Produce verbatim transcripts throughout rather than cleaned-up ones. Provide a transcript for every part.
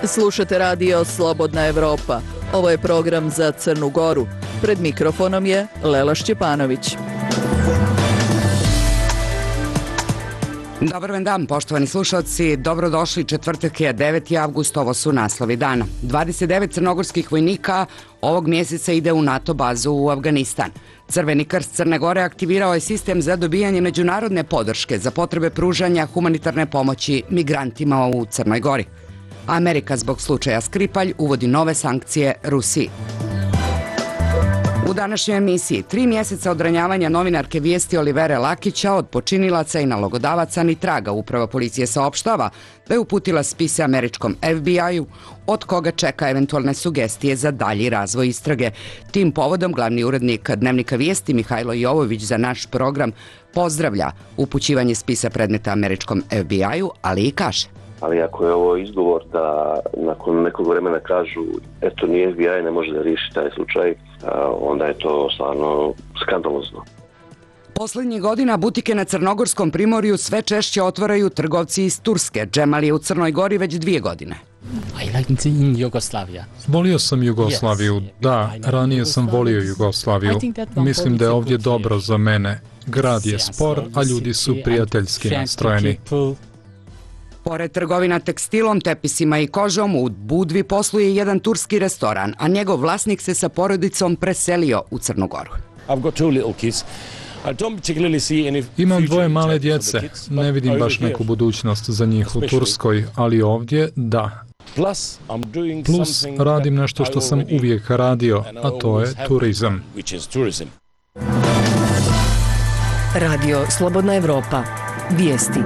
Slušate radio Slobodna Evropa. Ovo je program za Crnu Goru. Pred mikrofonom je Lela Šćepanović. Dobar vam dan, poštovani slušalci. Dobrodošli, četvrtak je deveti avgust, ovo su naslovi dana. dvadeset devet crnogorskih vojnika ovog mjeseca ide u NATO bazu u Afganistan. Crveni krst Crne Gore aktivirao je sistem za dobijanje međunarodne podrške za potrebe pružanja humanitarne pomoći migrantima u Crnoj Gori. Amerika zbog slučaja Skripalj uvodi nove sankcije Rusiji. U današnjoj emisiji tri mjeseca od ranjavanja novinarke Vijesti Olivere Lakića od počinilaca i nalogodavaca ni traga. Uprava policije saopštava da je uputila spise američkom F B I-u od koga čeka eventualne sugestije za dalji razvoj istrage. Tim povodom glavni urednik Dnevnika Vijesti Mihajlo Jovović za naš program pozdravlja upućivanje spisa predmeta američkom F B I-u, ali i kaže: ali ako je ovo izgovor da nakon nekog vremena kažu eto ni F B I ne može da riješi taj slučaj, onda je to stvarno skandalozno. Poslednjih godina butike na Crnogorskom primorju sve češće otvaraju trgovci iz Turske. Džemal je u Crnoj Gori već dvije godine. Volio sam Jugoslaviju, da, ranije sam volio Jugoslaviju. Mislim da je ovdje dobro za mene. Grad je spor, a ljudi su prijateljski nastrojeni. Pored trgovina tekstilom, tepisima i kožom, u Budvi posluje jedan turski restoran, a njegov vlasnik se sa porodicom preselio u Crnu Goru. Imam dvoje male djece, ne vidim baš neku budućnost za njih u Turskoj, ali ovdje da. Plus radim nešto što sam uvijek radio, a to je turizam. Radio Slobodna Evropa. Vijesti.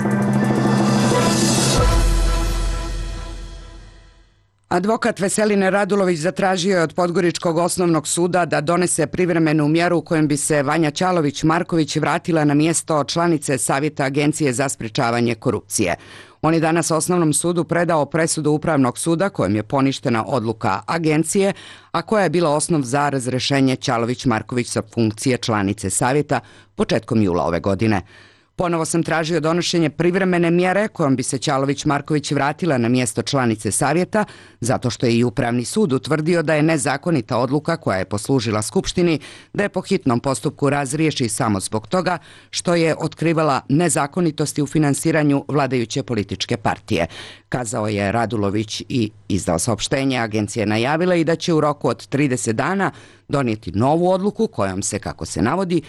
Advokat Veseline Radulović zatražio je od Podgoričkog osnovnog suda da donese privremenu mjeru kojom bi se Vanja Ćalović-Marković vratila na mjesto članice Savjeta Agencije za sprečavanje korupcije. On je danas osnovnom sudu predao presudu Upravnog suda kojom je poništena odluka agencije, a koja je bila osnov za razrešenje Ćalović-Marković sa funkcije članice Savjeta početkom jula ove godine. Ponovo sam tražio donošenje privremene mjere kojom bi se Ćalović-Marković vratila na mjesto članice Savjeta, zato što je i Upravni sud utvrdio da je nezakonita odluka koja je poslužila Skupštini da je po hitnom postupku razriješi samo zbog toga što je otkrivala nezakonitosti u finansiranju vladajuće političke partije. Kazao je Radulović i izdao saopštenje. Agencija je najavila i da će u roku od trideset dana donijeti novu odluku kojom se, kako se navodi,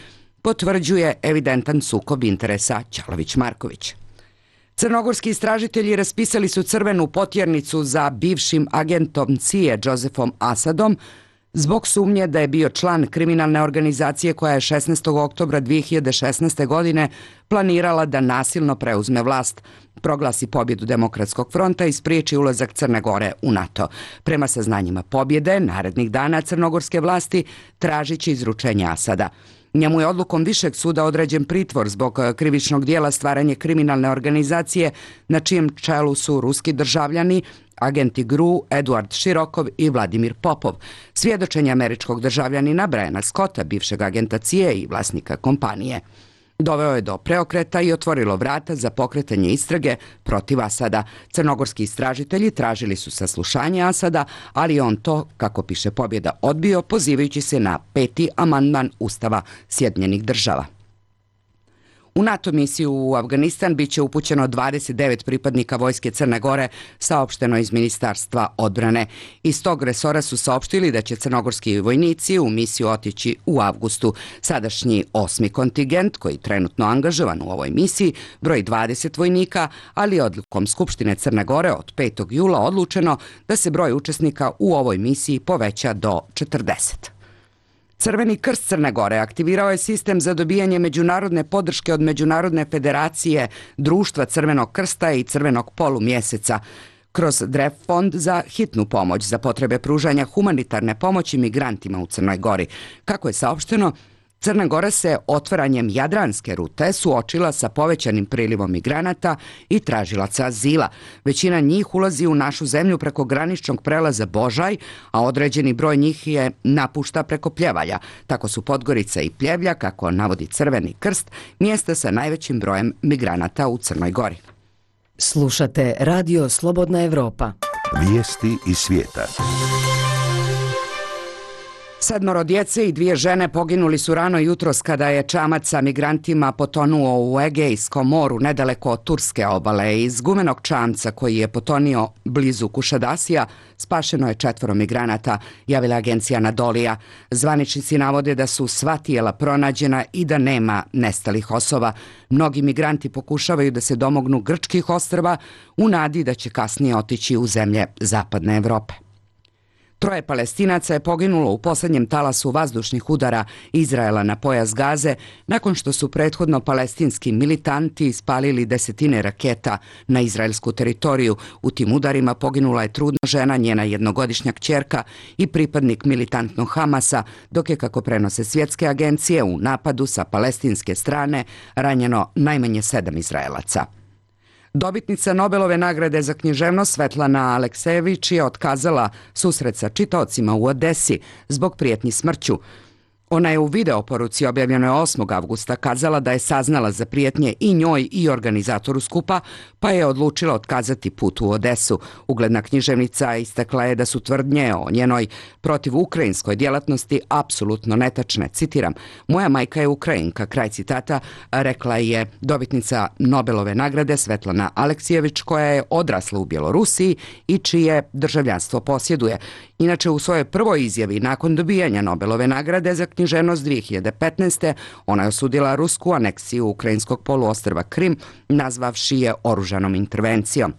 potvrđuje evidentan sukob interesa Ćalović-Marković. Crnogorski istražitelji raspisali su crvenu potjernicu za bivšim agentom C I A Josefom Asadom zbog sumnje da je bio član kriminalne organizacije koja je šesnaestog oktobra dvije hiljade šesnaeste. godine planirala da nasilno preuzme vlast, proglasi pobjedu Demokratskog fronta i spriječi ulazak Crne Gore u NATO. Prema saznanjima pobjede, narednih dana crnogorske vlasti tražit će izručenje Asada. Njemu je odlukom Višeg suda određen pritvor zbog krivičnog dijela stvaranje kriminalne organizacije na čijem čelu su ruski državljani, agenti G R U, Eduard Širokov i Vladimir Popov. Svjedočenje američkog državljanina Briana Scotta, bivšeg agenta C I A i vlasnika kompanije. Doveo je do preokreta i otvorilo vrata za pokretanje istrage protiv Asada. Crnogorski istražitelji tražili su saslušanje Asada, ali on to, kako piše Pobjeda, odbio, pozivajući se na peti amandman Ustava Sjedinjenih država. U NATO misiju u Afganistan biće upućeno dvadeset devet pripadnika vojske Crne Gore, saopšteno iz Ministarstva odbrane. Iz tog resora su saopštili da će crnogorski vojnici u misiju otići u avgustu. Sadašnji osmi kontingent, koji je trenutno angažovan u ovoj misiji, broji dvadeset vojnika, ali odlukom Skupštine Crne Gore od petog jula odlučeno da se broj učesnika u ovoj misiji poveća do četrdeset. Crveni krst Crne Gore aktivirao je sistem za dobijanje međunarodne podrške od Međunarodne federacije Društva Crvenog krsta i Crvenog polumjeseca kroz D R E F fond za hitnu pomoć za potrebe pružanja humanitarne pomoći migrantima u Crnoj Gori. Kako je saopšteno, Crna Gora se otvaranjem Jadranske rute suočila sa povećanim prilivom migranata i tražilaca azila. Većina njih ulazi u našu zemlju preko graničnog prelaza Božaj, a određeni broj njih je napušta preko Pljevalja. Tako su Podgorica i Pljevlja, kako navodi Crveni krst, mjesta sa najvećim brojem migranata u Crnoj Gori. Slušate Radio Slobodna Evropa. Vijesti iz svijeta. Sedmoro djece i dvije žene poginuli su rano jutros kada je čamac sa migrantima potonuo u Egejskom moru nedaleko od turske obale. Iz gumenog čamca koji je potonio blizu Kušadasija spašeno je četvoro migranata, javila agencija Anadolija. Zvaničnici navode da su sva tijela pronađena i da nema nestalih osoba. Mnogi migranti pokušavaju da se domognu grčkih ostrva u nadi da će kasnije otići u zemlje zapadne Evrope. Troje Palestinaca je poginulo u posljednjem talasu vazdušnih udara Izraela na pojas Gaze nakon što su prethodno palestinski militanti ispalili desetine raketa na izraelsku teritoriju. U tim udarima poginula je trudna žena, njena jednogodišnja kćerka i pripadnik militantnog Hamasa, dok je, kako prenose svjetske agencije, u napadu sa palestinske strane ranjeno najmanje sedam Izraelaca. Dobitnica Nobelove nagrade za književnost Svetlana Aleksejević je otkazala susret sa čitaocima u Odesi zbog prijetnji smrću. Ona je u videoporuci objavljenoj osmog avgusta kazala da je saznala za prijetnje i njoj i organizatoru skupa, pa je odlučila otkazati put u Odesu. Ugledna književnica istakla je da su tvrdnje o njenoj protivukrajinskoj djelatnosti apsolutno netačne. Citiram: "Moja majka je Ukrajinka", kraj citata, rekla je dobitnica Nobelove nagrade Svetlana Aleksejević, koja je odrasla u Bjelorusiji i čije državljanstvo posjeduje. Inače, u svojoj prvoj izjavi nakon dobijanja Nobelove nagrade za književnost dvije hiljade petnaeste. ona je osudila rusku aneksiju ukrajinskog poluostrva Krim, nazvavši je oružanom intervencijom.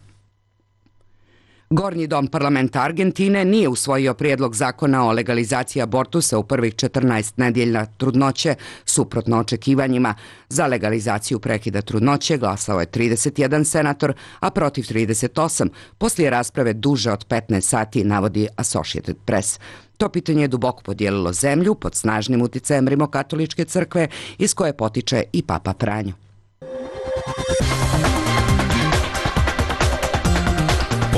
Gornji dom parlamenta Argentine nije usvojio prijedlog zakona o legalizaciji abortusa u prvih četrnaest nedjelja trudnoće, suprotno očekivanjima. Za legalizaciju prekida trudnoće glasao je trideset jedan senator, a protiv trideset osam, poslije rasprave duže od petnaest sati, navodi Associated Press. To pitanje je duboko podijelilo zemlju pod snažnim utjecajem rimokatoličke crkve iz koje potiče i Papa Franjo.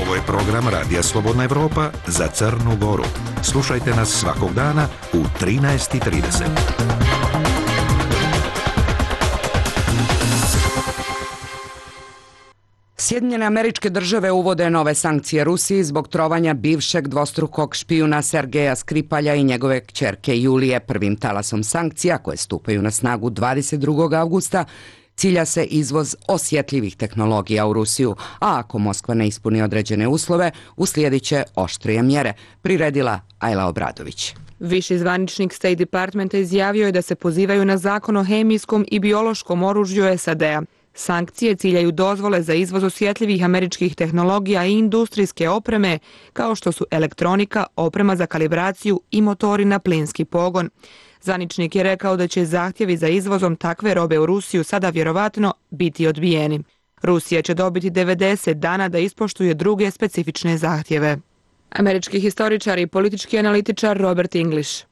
Ovo je program Radija Slobodna Evropa za Crnu Goru. Slušajte nas svakog dana u trinaest i trideset. Sjedinjene Američke Države uvode nove sankcije Rusiji zbog trovanja bivšeg dvostrukog špijuna Sergeja Skripalja i njegove kćerke Julije. Prvim talasom sankcija, koje stupaju na snagu dvadeset drugog avgusta, cilja se izvoz osjetljivih tehnologija u Rusiju, a ako Moskva ne ispuni određene uslove, uslijedit će oštrije mjere, priredila Ajla Obradović. Viši zvaničnik State Departmenta izjavio je da se pozivaju na zakon o hemijskom i biološkom oružju S A D-a. Sankcije ciljaju dozvole za izvoz osjetljivih američkih tehnologija i industrijske opreme, kao što su elektronika, oprema za kalibraciju i motori na plinski pogon. Zvaničnik je rekao da će zahtjevi za izvozom takve robe u Rusiju sada vjerovatno biti odbijeni. Rusija će dobiti devedeset dana da ispoštuje druge specifične zahtjeve. Američki historičar i politički analitičar Robert English.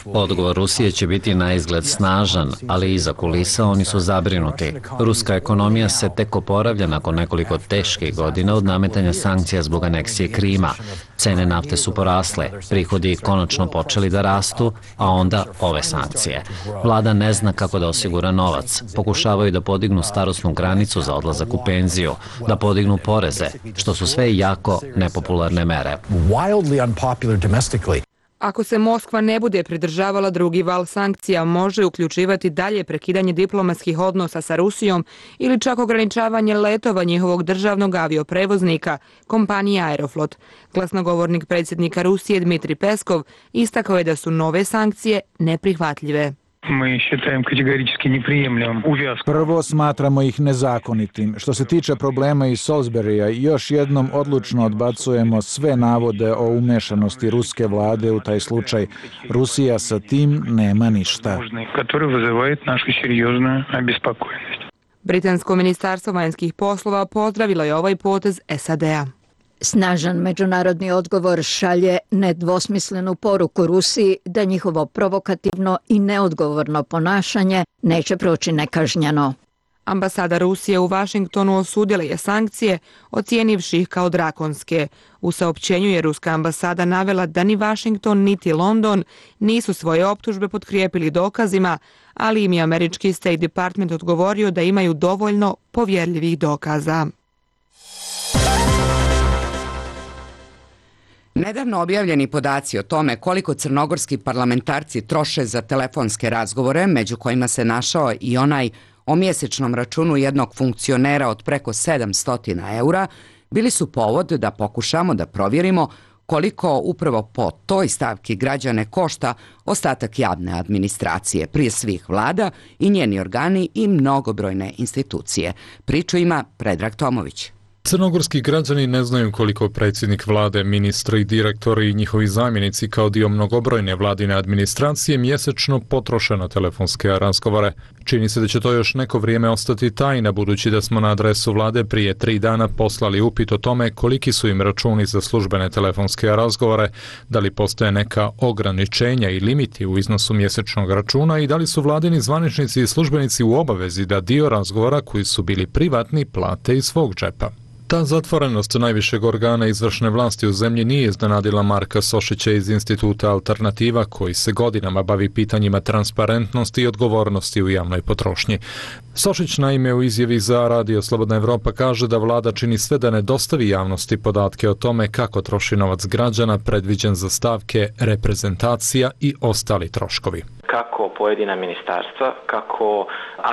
Odgovor Rusije će biti na izgled snažan, ali iza kulisa oni su zabrinuti. Ruska ekonomija se tek oporavlja nakon nekoliko teških godina od nametanja sankcija zbog aneksije Krima. Cene nafte su porasle, prihodi konačno počeli da rastu, a onda ove sankcije. Vlada ne zna kako da osigura novac. Pokušavaju da podignu starosnu granicu za odlazak u penziju, da podignu poreze, što su sve jako nepopularne mere. Ako se Moskva ne bude pridržavala, drugi val sankcija može uključivati dalje prekidanje diplomatskih odnosa sa Rusijom ili čak ograničavanje letova njihovog državnog avioprevoznika, kompanije Aeroflot. Glasnogovornik predsjednika Rusije Dmitrij Peskov istakao je da su nove sankcije neprihvatljive. Prvo, smatramo ih nezakonitim. Što se tiče problema iz Salisburya, još jednom odlučno odbacujemo sve navode o umešanosti ruske vlade u taj slučaj. Rusija sa tim nema ništa. Britansko ministarstvo vanjskih poslova pozdravilo je ovaj potez S A D-a. Snažan međunarodni odgovor šalje nedvosmislenu poruku Rusiji da njihovo provokativno i neodgovorno ponašanje neće proći nekažnjeno. Ambasada Rusije u Vašingtonu osudila je sankcije, ocijenivši ih kao drakonske. U saopćenju je ruska ambasada navela da ni Vašington niti London nisu svoje optužbe potkrijepili dokazima, ali im je američki State Department odgovorio da imaju dovoljno povjerljivih dokaza. Nedavno objavljeni podaci o tome koliko crnogorski parlamentarci troše za telefonske razgovore, među kojima se našao i onaj o mjesečnom računu jednog funkcionera od preko sedamsto eura, bili su povod da pokušamo da provjerimo koliko upravo po toj stavki građane košta ostatak javne administracije, prije svih vlada i njeni organi i mnogobrojne institucije. Priču ima Predrag Tomović. Crnogorski građani ne znaju koliko predsjednik vlade, ministri, direktori i njihovi zamjenici kao dio mnogobrojne vladine administracije mjesečno potroše na telefonske razgovore. Čini se da će to još neko vrijeme ostati tajna, budući da smo na adresu vlade prije tri dana poslali upit o tome koliki su im računi za službene telefonske razgovore, da li postoje neka ograničenja i limiti u iznosu mjesečnog računa i da li su vladini zvaničnici i službenici u obavezi da dio razgovora koji su bili privatni plate iz svog džepa. Ta zatvorenost najvišeg organa izvršne vlasti u zemlji nije iznenadila Marka Sošića iz Instituta Alternativa, koji se godinama bavi pitanjima transparentnosti i odgovornosti u javnoj potrošnji. Sošić naime u izjavi za Radio Slobodna Evropa kaže da vlada čini sve da ne dostavi javnosti podatke o tome kako troši novac građana predviđen za stavke reprezentacija i ostali troškovi. Kako pojedina ministarstva, kako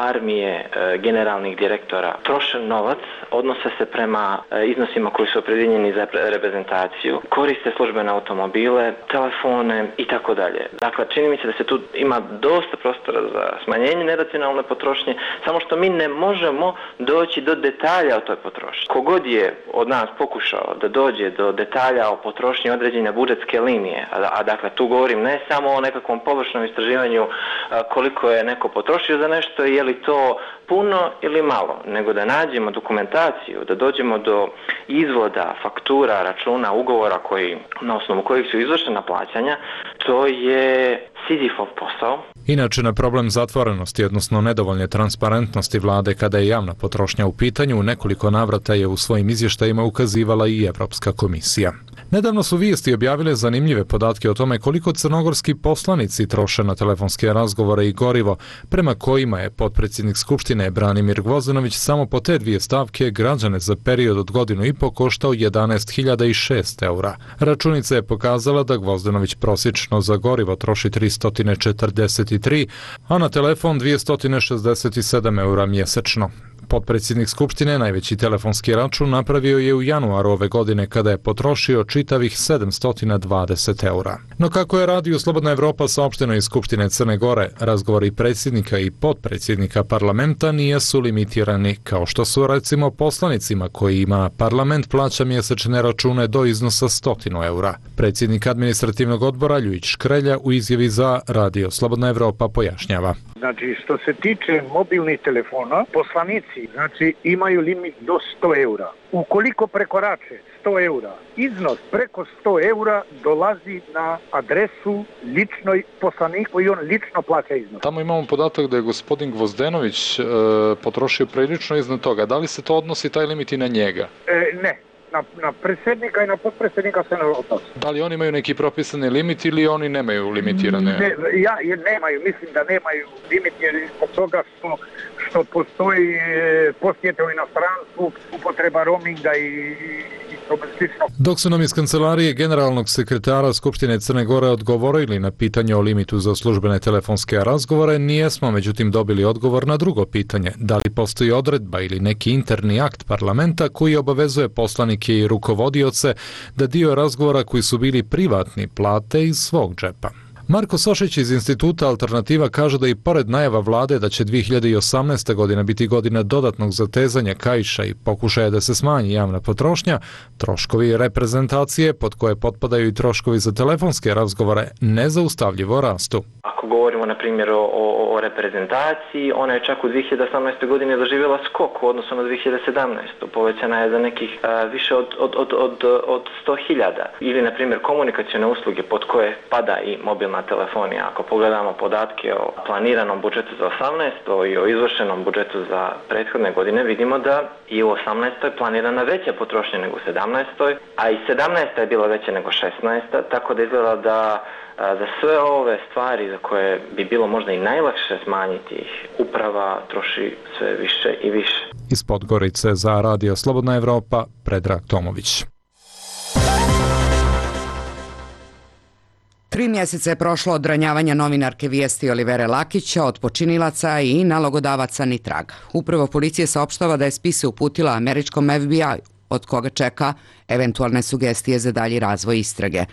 armije e, generalnih direktora troše novac, odnose se prema e, iznosima koji su opredjeljeni za reprezentaciju, koriste službene automobile, telefone i tako dalje. Dakle, čini mi se da se tu ima dosta prostora za smanjenje neracionalne potrošnje, samo što mi ne možemo doći do detalja o toj potrošnji. Kogod je od nas pokušao da dođe do detalja o potrošnji određene budžetske linije, a, a dakle tu govorim ne samo o nekakvom površnom istraživanju koliko je neko potrošio za nešto, je li to puno ili malo, nego da nađemo dokumentaciju, da dođemo do izvoda, faktura, računa, ugovora koji, na osnovu kojih su izvršena plaćanja, to je Sizifov posao. Inače, na problem zatvorenosti, odnosno nedovoljne transparentnosti vlade kada je javna potrošnja u pitanju, u nekoliko navrata je u svojim izvještajima ukazivala i Evropska komisija. Nedavno su vijesti objavile zanimljive podatke o tome koliko crnogorski poslanici troše na telefonske razgovore i gorivo, prema kojima je potpredsjednik Skupštine Branimir Gvozdenović samo po te dvije stavke građane za period od godinu i po koštao jedanaest hiljada šest eura. Računica je pokazala da Gvozdenović prosječno za gorivo troši tristo četrdeset tri, a na telefon dvjesto šezdeset sedam eura mjesečno. Potpredsjednik Skupštine najveći telefonski račun napravio je u januaru ove godine kada je potrošio čitavih sedamsto dvadeset eura. No kako je Radio Slobodna Evropa saopšteno iz Skupštine Crne Gore, razgovori predsjednika i potpredsjednika parlamenta nisu limitirani, kao što su recimo poslanicima kojima parlament plaća mjesečne račune do iznosa sto eura. Predsjednik administrativnog odbora Ljujić Škrelja u izjavi za Radio Slobodna Evropa pojašnjava. Znači, što se tiče mobilnih telefona, poslanici znači, imaju limit do sto eura. Ukoliko prekorače sto eura, iznos preko sto eura dolazi na adresu ličnoj poslaniku i on lično plaća iznos. Tamo imamo podatak da je gospodin Gvozdenović e, potrošio prilično iznad toga. Da li se to odnosi taj limit i na njega? E, ne. Na, na predsjednika i na potpredsjednika se ne odnosi. Da li oni imaju neki propisani limit ili oni nemaju limitirane? Ne, ja, jer nemaju, mislim da nemaju limit jer zbog toga što, što postoji posjete u inostranstvu, upotreba roaminga i, i tome slično. Dok su nam iz kancelarije generalnog sekretara Skupštine Crne Gore odgovorili na pitanje o limitu za službene telefonske razgovore, nijesmo međutim dobili odgovor na drugo pitanje, da li postoji odredba ili neki interni akt parlamenta koji obavezuje poslanike i rukovodioce da dio razgovora koji su bili privatni plate iz svog džepa. Marko Sošić iz Instituta Alternativa kaže da i pored najava vlade da će dvije hiljade osamnaesta. godina biti godina dodatnog zatezanja kaiša i pokušaja da se smanji javna potrošnja, troškovi reprezentacije, pod koje potpadaju i troškovi za telefonske razgovore, nezaustavljivo rastu. Ako govorimo na primjer o, o, o reprezentaciji, ona je čak u dvije hiljade osamnaestoj. godini doživjela skok u odnosu na dvije hiljade sedamnaestu. Povećana je za nekih a, više od, od, od, od, od sto hiljada. Ili na primjer komunikacione usluge pod koje pada i mobilna telefonija. Ako pogledamo podatke o planiranom budžetu za osamnaestu. i o izvršenom budžetu za prethodne godine, vidimo da i u osamnaestoj. planirana veća potrošnja nego u sedamnaestoj. a i sedamnaesta. je bila veća nego šesnaesta. tako da izgleda da za sve ove stvari za koje bi bilo možda i najlakše smanjiti ih, uprava troši sve više i više. Iz Podgorice za Radio Slobodna Evropa, Predrag Tomović. Tri mjeseca je prošlo od ranjavanja novinarke Vijesti Olivere Lakića, od počinilaca i nalogodavaca ni traga. Upravo policija saopštava da je spise uputila američkom F B I-u, od koga čeka eventualne sugestije za dalji razvoj istrage.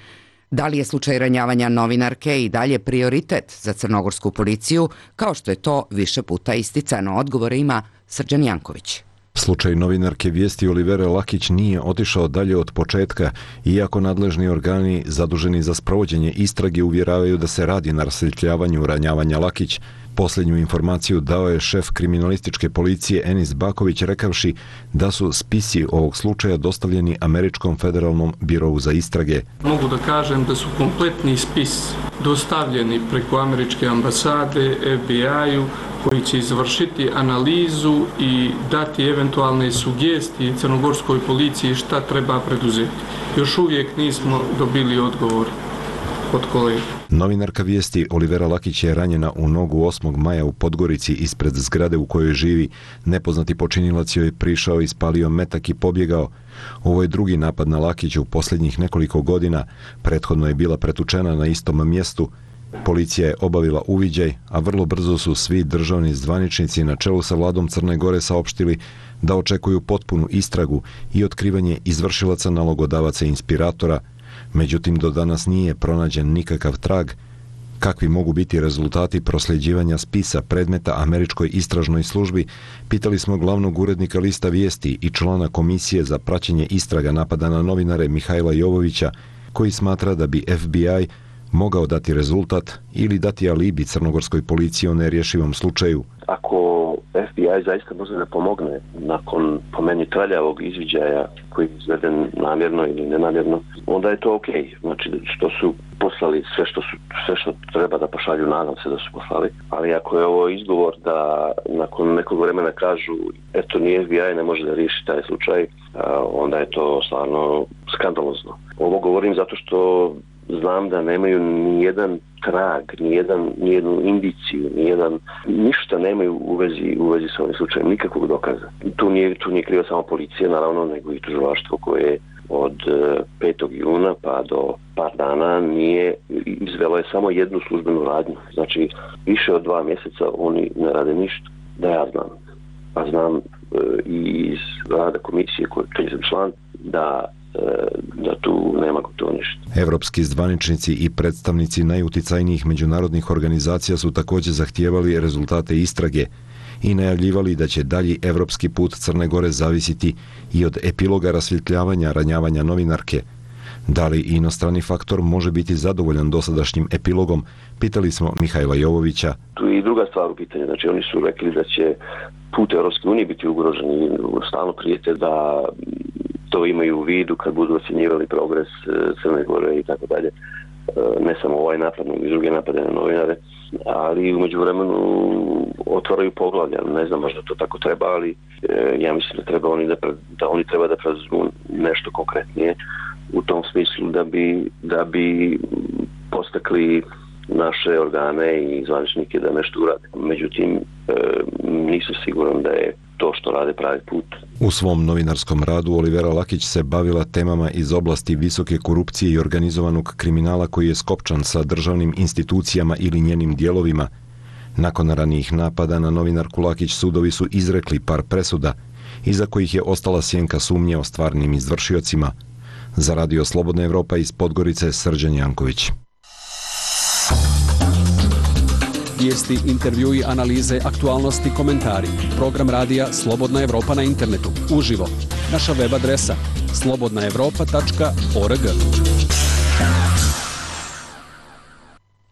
Da li je slučaj ranjavanja novinarke i dalje prioritet za crnogorsku policiju, kao što je to više puta isticano? Odgovore ima Srđan Janković. Slučaj novinarke Vijesti Olivere Lakić nije otišao dalje od početka, iako nadležni organi zaduženi za sprovođenje istrage uvjeravaju da se radi na rasvjetljavanju ranjavanja Lakić. Posljednju informaciju dao je šef kriminalističke policije Enis Baković rekavši da su spisi ovog slučaja dostavljeni Američkom federalnom birovu za istrage. Mogu da kažem da su kompletni spis dostavljeni preko američke ambasade F B I-u, koji će izvršiti analizu i dati eventualne sugestije crnogorskoj policiji šta treba preduzeti. Još uvijek nismo dobili odgovor od kolega. Novinarka Vijesti Olivera Lakić je ranjena u nogu osmog maja u Podgorici ispred zgrade u kojoj živi. Nepoznati počinilac joj je prišao, ispalio metak i pobjegao. Ovo je drugi napad na Lakić u posljednjih nekoliko godina. Prethodno je bila pretučena na istom mjestu. Policija je obavila uviđaj, a vrlo brzo su svi državni zvaničnici na čelu sa vladom Crne Gore saopštili da očekuju potpunu istragu i otkrivanje izvršilaca, nalogodavaca i inspiratora. Međutim, do danas nije pronađen nikakav trag. Kakvi mogu biti rezultati prosljeđivanja spisa predmeta američkoj istražnoj službi, pitali smo glavnog urednika lista Vijesti i člana Komisije za praćenje istraga napada na novinare Mihajla Jovovića, koji smatra da bi F B I mogao dati rezultat ili dati alibi crnogorskoj policiji o nerješivom slučaju. Ako F B I zaista može da pomogne nakon, po meni, traljavog izviđaja koji je izveden namjerno ili nenamjerno, onda je to okej. Okay. Znači što su poslali sve što, su, sve što treba da pošalju, nadam se da su poslali. Ali ako je ovo izgovor da nakon nekog vremena kažu eto ni F B I ne može da riješi taj slučaj, onda je to stvarno skandalozno. Ovo govorim zato što znam da nemaju ni jedan trag, ni jedan, ni jednu indiciju, ni jedan, ništa nemaju u vezi, u vezi sa ovim slučajem, nikakvog dokaza. Tu nije, tu nije kriva samo policija, naravno, nego i tužilaštvo koje od petog juna pa do par dana nije, izvelo je samo jednu službenu radnju. Znači, više od dva mjeseca oni ne rade ništa, da ja znam. A znam e, i iz rada komisije koje sam član, da da tu nema gotovo ništa. Evropski zvaničnici i predstavnici najuticajnijih međunarodnih organizacija su također zahtijevali rezultate istrage i najavljivali da će dalji evropski put Crne Gore zavisiti i od epiloga rasvjetljavanja ranjavanja novinarke. Da li inostrani faktor može biti zadovoljan dosadašnjim epilogom, pitali smo Mihajla Jovovića. Tu je i druga stvar u pitanju, znači oni su rekli da će put Europske unije biti ugrožen i stalno prijete da to imaju u vidu kad budu ocjenjivali progres Crne Gore i tako dalje. Ne samo ovaj napad, nego i druge napade na novinare, ali u međuvremenu otvaraju poglavlja. Ne znam možda to tako treba, ali ja mislim da treba oni da, da oni treba da preuzmu nešto konkretnije u tom smislu da bi, da bi postakli naše organe i zvaničnike da nešto urade. Međutim, nisam siguran da je to što rade pravi put. U svom novinarskom radu Olivera Lakić se bavila temama iz oblasti visoke korupcije i organizovanog kriminala koji je skopčan sa državnim institucijama ili njenim dijelovima. Nakon ranijih napada na novinarku Lakić sudovi su izrekli par presuda, iza kojih je ostala sjenka sumnje o stvarnim izvršiocima. Za Radio Slobodna Evropa iz Podgorice, Srđan Janković. Vijesti, intervjui, analize, aktualnosti, komentari. Program radija Slobodna Evropa na internetu. Uživo. Naša web adresa slobodna evropa tačka org.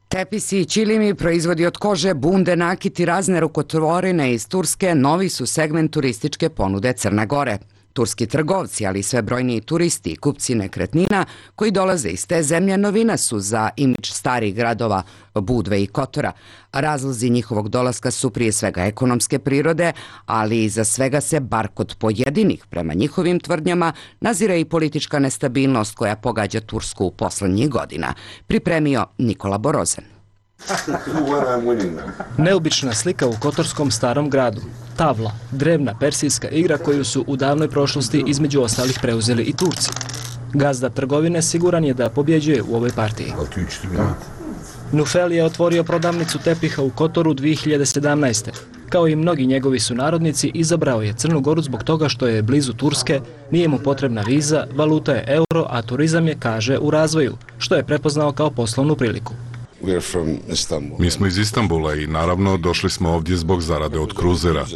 Tepisi i ćilimi, proizvodi od kože, bunde, nakit i razne rukotvorine iz Turske novi su segment turističke ponude Crne Gore. Turski trgovci, ali i sve brojniji turisti i kupci nekretnina koji dolaze iz te zemlje novina su za imidž starih gradova Budve i Kotora. Razlozi njihovog dolaska su prije svega ekonomske prirode, ali i za svega se, bar kod pojedinih, prema njihovim tvrdnjama, nazira i politička nestabilnost koja pogađa Tursku u poslednjih godina. Pripremio Nikola Borozen. Neobična slika u kotorskom starom gradu. Tavla, drevna persijska igra koju su u davnoj prošlosti između ostalih preuzeli i Turci. Gazda trgovine siguran je da pobjeđuje u ovoj partiji. Nufel je otvorio prodavnicu tepiha u Kotoru dvije hiljade sedamnaeste. Kao i mnogi njegovi sunarodnici, izabrao je Crnu Goru zbog toga što je blizu Turske, nije mu potrebna viza, valuta je euro, a turizam je, kaže, u razvoju, što je prepoznao kao poslovnu priliku. Mi smo iz Istanbula i naravno došli smo ovdje zbog zarade od kruzera.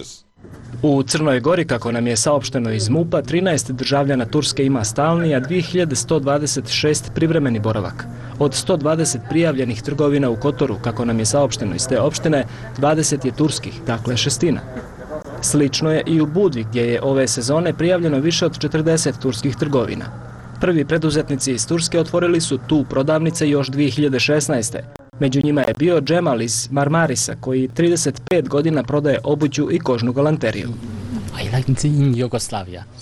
U Crnoj Gori, kako nam je saopšteno iz MUP-a, trinaest državljana Turske ima stalni, a dvije hiljade sto dvadeset šest privremeni boravak. Od sto dvadeset prijavljenih trgovina u Kotoru, kako nam je saopšteno iz te opštine, dvadeset je turskih, dakle šestina. Slično je i u Budvi, gdje je ove sezone prijavljeno više od četrdeset turskih trgovina. Prvi preduzetnici iz Turske otvorili su tu prodavnice još dvije hiljade šesnaeste. Među njima je bio Džemal iz Marmarisa, koji trideset pet godina prodaje obuću i kožnu galanteriju.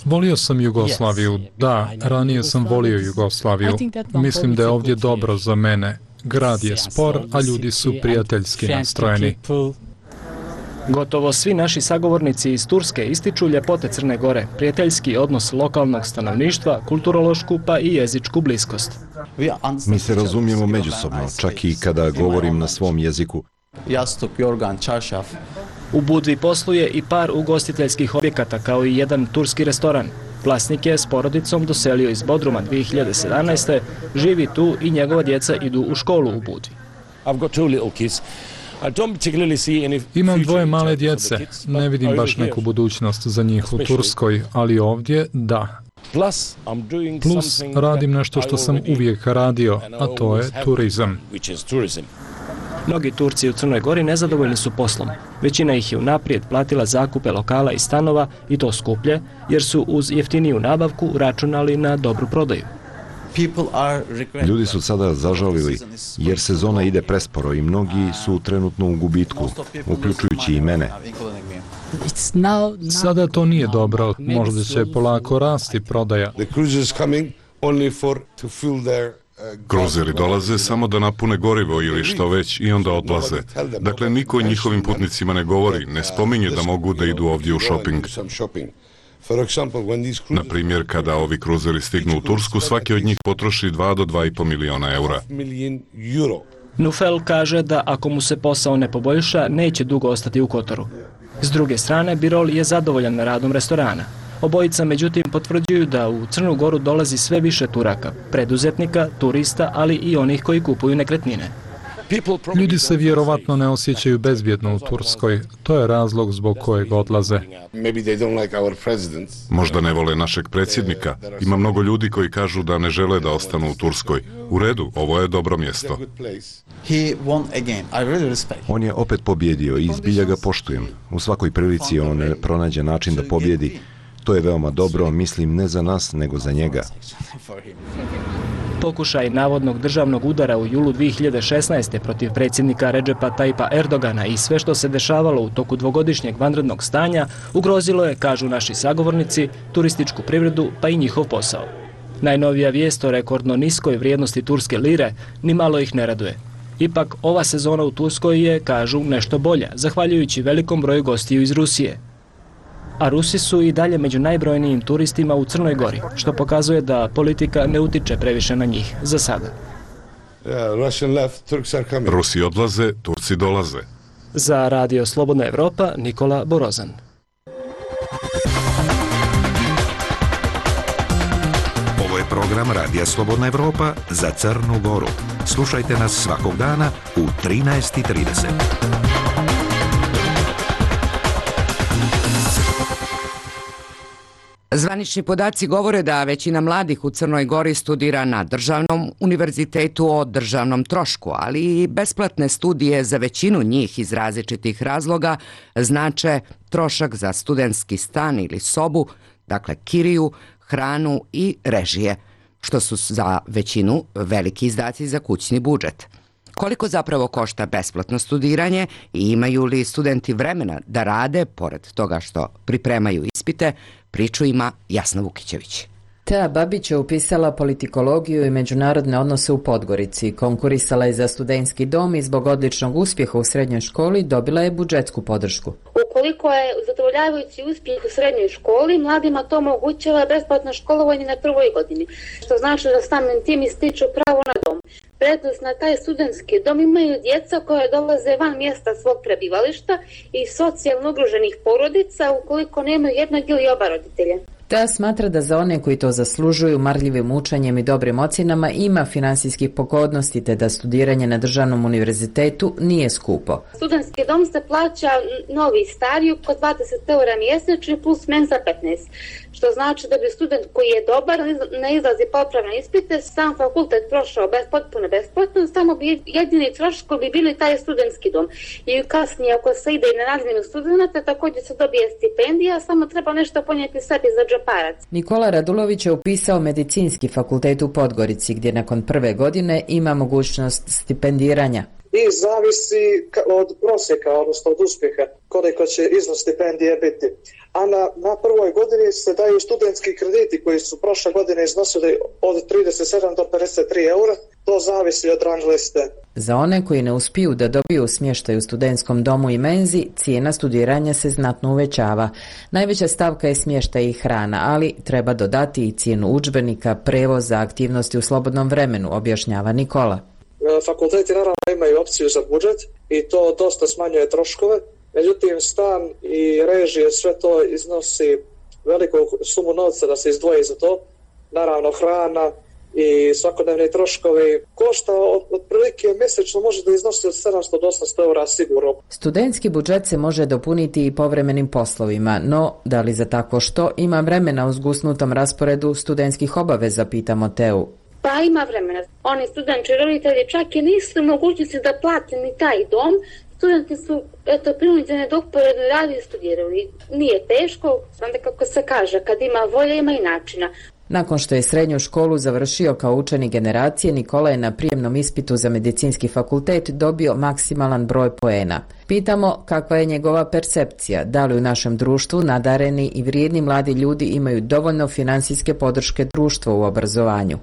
Volio sam Jugoslaviju, da, ranije sam volio Jugoslaviju. Mislim da je ovdje dobro za mene. Grad je spor, a ljudi su prijateljski nastrojeni. Gotovo svi naši sagovornici iz Turske ističu ljepote Crne Gore, prijateljski odnos lokalnog stanovništva, kulturološku pa i jezičku bliskost. Mi se razumijemo međusobno, čak i kada govorim na svom jeziku. U Budvi posluje i par ugostiteljskih objekata kao i jedan turski restoran. Vlasnik je s porodicom doselio iz Bodruma dvije hiljade sedamnaeste. Živi tu i njegova djeca idu u školu u Budvi. Imam dvoje male djece, ne vidim baš neku budućnost za njih u Turskoj, ali ovdje da. Plus radim nešto što sam uvijek radio, a to je turizam. Mnogi Turci u Crnoj Gori nezadovoljni su poslom. Većina ih je unaprijed platila zakupe lokala i stanova i to skuplje, jer su uz jeftiniju nabavku računali na dobru prodaju. Ljudi su sada zažalili jer sezona ide presporo i mnogi su trenutno u gubitku, uključujući i mene. Sada to nije dobro, možda će polako rasti prodaja. Kruzeri dolaze samo da napune gorivo ili što već i onda odlaze. Dakle, niko njihovim putnicima ne govori, ne spominje da mogu da idu ovdje u šoping. Na primjer, kada ovi kruzeri stignu u Tursku, svaki od njih potroši dva do dva i po miliona eura. Nufel kaže da ako mu se posao ne poboljša, neće dugo ostati u Kotoru. S druge strane, Birol je zadovoljan radom restorana. Obojica, međutim, potvrđuju da u Crnu Goru dolazi sve više Turaka, preduzetnika, turista, ali i onih koji kupuju nekretnine. Ljudi se vjerovatno ne osjećaju bezbjedno u Turskoj. To je razlog zbog kojeg odlaze. Možda ne vole našeg predsjednika. Ima mnogo ljudi koji kažu da ne žele da ostanu u Turskoj. U redu, ovo je dobro mjesto. On je opet pobjedio i zbilja ga poštujem. U svakoj prilici on pronađe način da pobjedi. To je veoma dobro, mislim, ne za nas, nego za njega. Pokušaj navodnog državnog udara u julu dvije hiljade šesnaeste. protiv predsjednika Redžepa Tajipa Erdogana i sve što se dešavalo u toku dvogodišnjeg vanrednog stanja ugrozilo je, kažu naši sagovornici, turističku privredu pa i njihov posao. Najnovija vijest o rekordno niskoj vrijednosti turske lire ni malo ih ne raduje. Ipak, ova sezona u Turskoj je, kažu, nešto bolja, zahvaljujući velikom broju gostiju iz Rusije. A Rusi su i dalje među najbrojnijim turistima u Crnoj Gori, što pokazuje da politika ne utiče previše na njih, za sada. Rusi odlaze, Turci dolaze. Za Radio Slobodna Evropa, Nikola Borozan. Ovo je program Radija Slobodna Evropa za Crnu Goru. Slušajte nas svakog dana u trinaest i trideset. Zvanični podaci govore da većina mladih u Crnoj Gori studira na državnom univerzitetu o državnom trošku, ali i besplatne studije za većinu njih iz različitih razloga znače trošak za studentski stan ili sobu, dakle kiriju, hranu i režije, što su za većinu veliki izdaci za kućni budžet. Koliko zapravo košta besplatno studiranje i imaju li studenti vremena da rade, pored toga što pripremaju ispite, priču ima Jasna Vukićević. Tea Babić je upisala politikologiju i međunarodne odnose u Podgorici. Konkurisala je za studentski dom i zbog odličnog uspjeha u srednjoj školi dobila je budžetsku podršku. Ukoliko je zadovoljavajući uspjeh u srednjoj školi, mladima to omogućava besplatno školovanje na prvoj godini, što znači da samim tim ističu pravo na dom. Prednost na taj studentski dom imaju djeca koja dolaze van mjesta svog prebivališta i socijalno ugroženih porodica ukoliko nemaju jednog ili oba roditelja. Tea smatra da za one koji to zaslužuju marljivim učenjem i dobrim ocjenama ima finansijskih pogodnosti te da studiranje na državnom univerzitetu nije skupo. Studentski dom se plaća novi i stari oko dvadeset eura mjesečno plus mensa petnaest, što znači da bi student koji je dobar, ne izlazi popravne ispite, sam fakultet prošao bez, potpuno besplatno, samo bi jedini troškovi bi bili taj studentski dom. I kasnije ako se ide na razmjenu studenta, također se dobije stipendija, samo treba nešto ponijeti sebi za džeparac. Nikola Radulović je upisao medicinski fakultet u Podgorici, gdje nakon prve godine ima mogućnost stipendiranja. I zavisi od prosjeka, odnosno od uspjeha, koliko će iznos stipendije biti. A na, na prvoj godini se daju studentski krediti koji su prošle godine iznosili od trideset sedam do pedeset tri eura. To zavisi od rang liste. Za one koji ne uspiju da dobiju smještaj u studentskom domu i menzi, cijena studiranja se znatno uvećava. Najveća stavka je smještaj i hrana, ali treba dodati i cijenu udžbenika, prevoza, aktivnosti u slobodnom vremenu, objašnjava Nikola. Fakulteti naravno imaju opciju za budžet i to dosta smanjuje troškove, međutim stan i režije sve to iznosi veliku sumu novca da se izdvoji za to. Naravno hrana i svakodnevni troškovi košta otprilike mjesečno može da iznosi od sedamsto do osamsto eura sigurno. Studentski budžet se može dopuniti i povremenim poslovima, no da li za tako što ima vremena u zgusnutom rasporedu studentskih obaveza, pitamo Teu. Pa ima vremena. Oni studenti i roditelji čak i nisu u mogućnosti da plate ni taj dom. Studenti su eto, prinuđeni da uporedno radi i studiraju. Nije teško, onda kako se kaže, kad ima volje ima i načina. Nakon što je srednju školu završio kao učenik generacije, Nikola je na prijemnom ispitu za medicinski fakultet dobio maksimalan broj poena. Pitamo kakva je njegova percepcija, da li u našem društvu nadareni i vrijedni mladi ljudi imaju dovoljno financijske podrške društva u obrazovanju.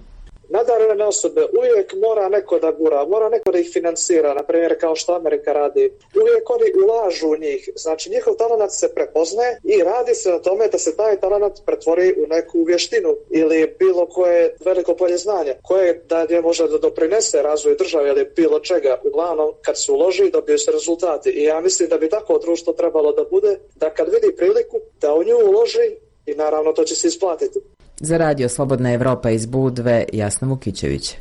Nadarene osobe uvijek mora neko da gura, mora neko da ih financira, na primjer kao što Amerika radi. Uvijek oni ulažu u njih, znači njihov talenat se prepoznaje i radi se na tome da se taj talenat pretvori u neku vještinu ili bilo koje veliko polje znanja, koje dalje može da doprinese razvoju države ili bilo čega. Uglavnom, kad se uloži, dobiju se rezultati i ja mislim da bi tako društvo trebalo da bude, da kad vidi priliku, da u nju uloži i naravno to će se isplatiti. Za radio Slobodna Evropa iz Budve, Jasna Vukićević.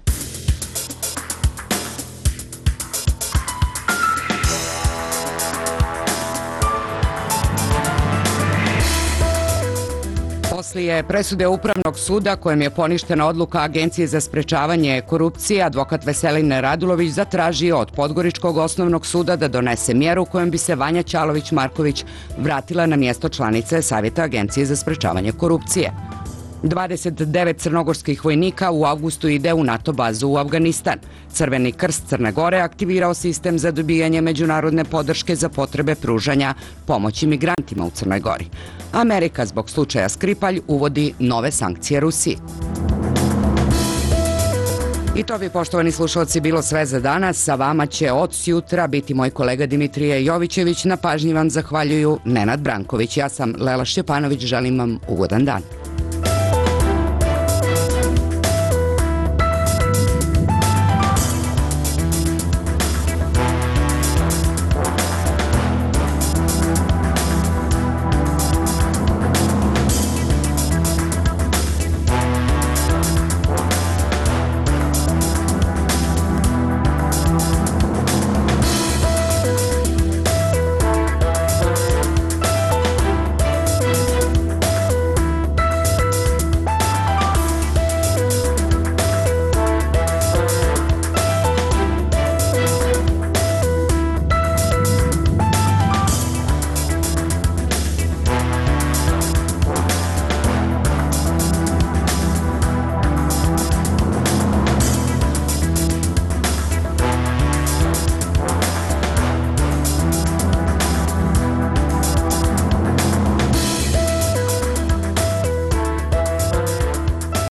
Poslije presude Upravnog suda kojem je poništena odluka Agencije za sprečavanje korupcije, advokat Veselin Radulović zatražio od Podgoričkog osnovnog suda da donese mjeru kojom bi se Vanja Ćalović-Marković vratila na mjesto članice Savjeta Agencije za sprečavanje korupcije. dvadeset devet crnogorskih vojnika u avgustu ide u NATO bazu u Afganistan. Crveni krst Crne Gore aktivirao sistem za dobijanje međunarodne podrške za potrebe pružanja pomoći migrantima u Crnoj Gori. Amerika zbog slučaja Skripalj uvodi nove sankcije Rusiji. I to bi, poštovani slušalci, bilo sve za danas. Sa vama će od sjutra biti moj kolega Dimitrije Jovićević. Na pažnji vam zahvaljuju Nenad Branković. Ja sam Lela Šćepanović. Želim vam ugodan dan.